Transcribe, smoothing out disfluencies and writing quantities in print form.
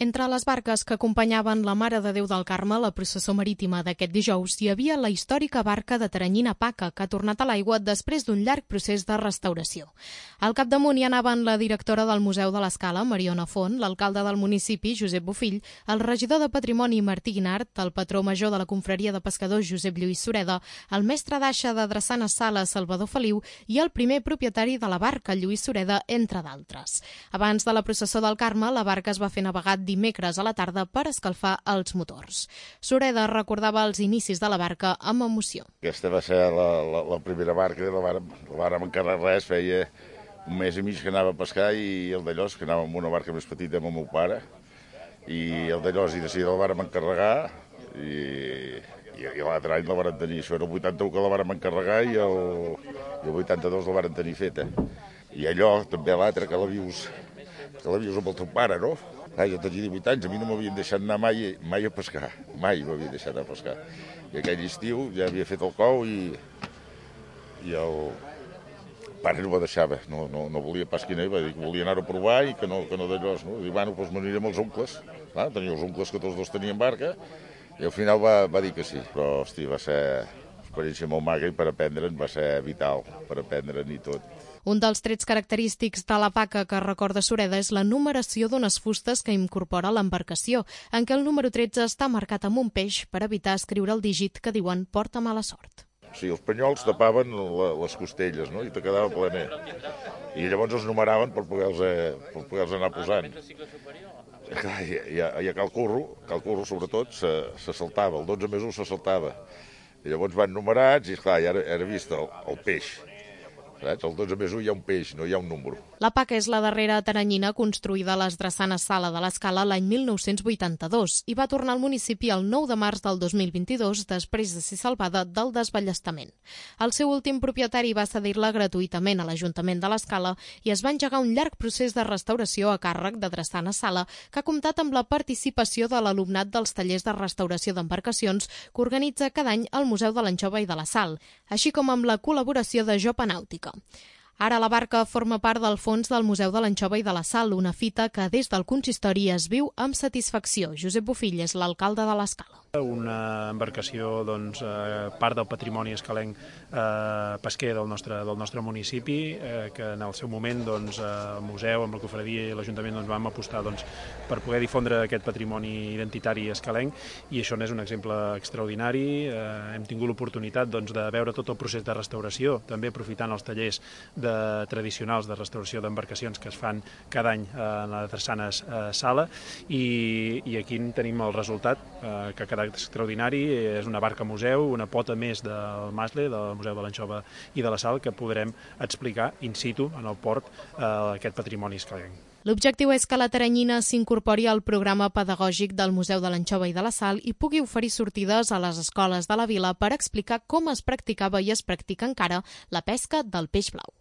Entre les barques que acompanyaven la Mare de Déu del Carme a la processó marítima d'aquest dijous hi havia la històrica barca de Teranyina Paca, que ha tornat a l'aigua després d'un llarg procés de restauració. Al capdamunt hi anaven la directora del Museu de l'Escala, Mariona Font, l'alcalde del municipi, Josep Bofill, el regidor de Patrimoni, Martí Guinart, el patró major de la confraria de pescadors, Josep Lluís Sureda, el mestre d'aixa de Drassana Sala, Salvador Feliu, i el primer propietari de la barca, Lluís Sureda, entre d'altres. Abans de la processó del Carme, la barca es va fer navegar dimecres a la tarda per escalfar els motors. Sureda recordava els inicis de la barca amb emoció. Aquesta va ser la primera barca, la vàrem encarregar res, feia un mes i mig que anava a pescar i el d'Allòs, que anava amb una barca més petita amb el meu pare, i el d'Allòs i de seguida la vàrem encarregar i l'altre any la vàrem tenir. Això era el 81 que la vàrem encarregar i el 82 la vàrem tenir feta. I allò, també l'altre, que la vius amb el teu pare, no? Jo tenia 18 anys, a mi no m'havien deixat anar mai a pescar, mai m'havien deixat anar a pescar. I aquell estiu ja havia fet el cou i el pare no me deixava, no volia pas que anés, va dir que volia anar a provar i que no d'allò. No? Dic, bueno, doncs m'aniré amb els oncles. Tenia els oncles que tots dos tenien barca i al final va dir que sí. Però, hosti, va ser una experiència molt maca i per aprendre'n va ser vital, per aprendre'n i tot. Un dels trets característics de la Paca que recorda Sureda és la numeració d'unes fustes que incorpora l'embarcació, en què el número 13 està marcat amb un peix per evitar escriure el dígit que diuen porta mala sort. Sí, els panyols tapaven les costelles, no? I te quedava plener. I llavors els numeraven per poder-los anar posant. I a Cal Curro sobretot, se saltava, el 12 més 1 se saltava. I llavors van numerats i, esclar, ja era vist el peix. El 12 més 1 hi ha un peix, no hi ha un número. La Paca és la darrera teranyina construïda a les Drassanes Sala de l'Escala l'any 1982 i va tornar al municipi el 9 de març del 2022 després de ser salvada del desballestament. El seu últim propietari va cedir-la gratuïtament a l'Ajuntament de l'Escala i es va engegar un llarg procés de restauració a càrrec de Drassana Sala que ha comptat amb la participació de l'alumnat dels tallers de restauració d'embarcacions que organitza cada any el Museu de l'Anxova i de la Sal, així com amb la col·laboració de Jopa Nàutica. Ara la barca forma part del fons del Museu de l'Anxova i de la Sal, una fita que des del consistori es viu amb satisfacció. Josep Bofill és l'alcalde de l'Escala. Una embarcació, part del patrimoni escalenc pesquer del nostre municipi, que en el seu moment el museu, amb la confraria i l'Ajuntament vam apostar per poder difondre aquest patrimoni identitari escalenc, i això n'és un exemple extraordinari. Hem tingut l'oportunitat de veure tot el procés de restauració, també aprofitant els tallers tradicionals de restauració d'embarcacions que es fan cada any a la Drassanes Sala, i aquí tenim el resultat que ha quedat extraordinari. És una barca museu, una pota més del Masle, del Museu de l'Anxova i de la Sal, que podrem explicar in situ en el port aquest patrimoni escalenc. L'objectiu és que la teranyina s'incorpori al programa pedagògic del Museu de l'Anxova i de la Sal i pugui oferir sortides a les escoles de la vila per explicar com es practicava i es practica encara la pesca del peix blau.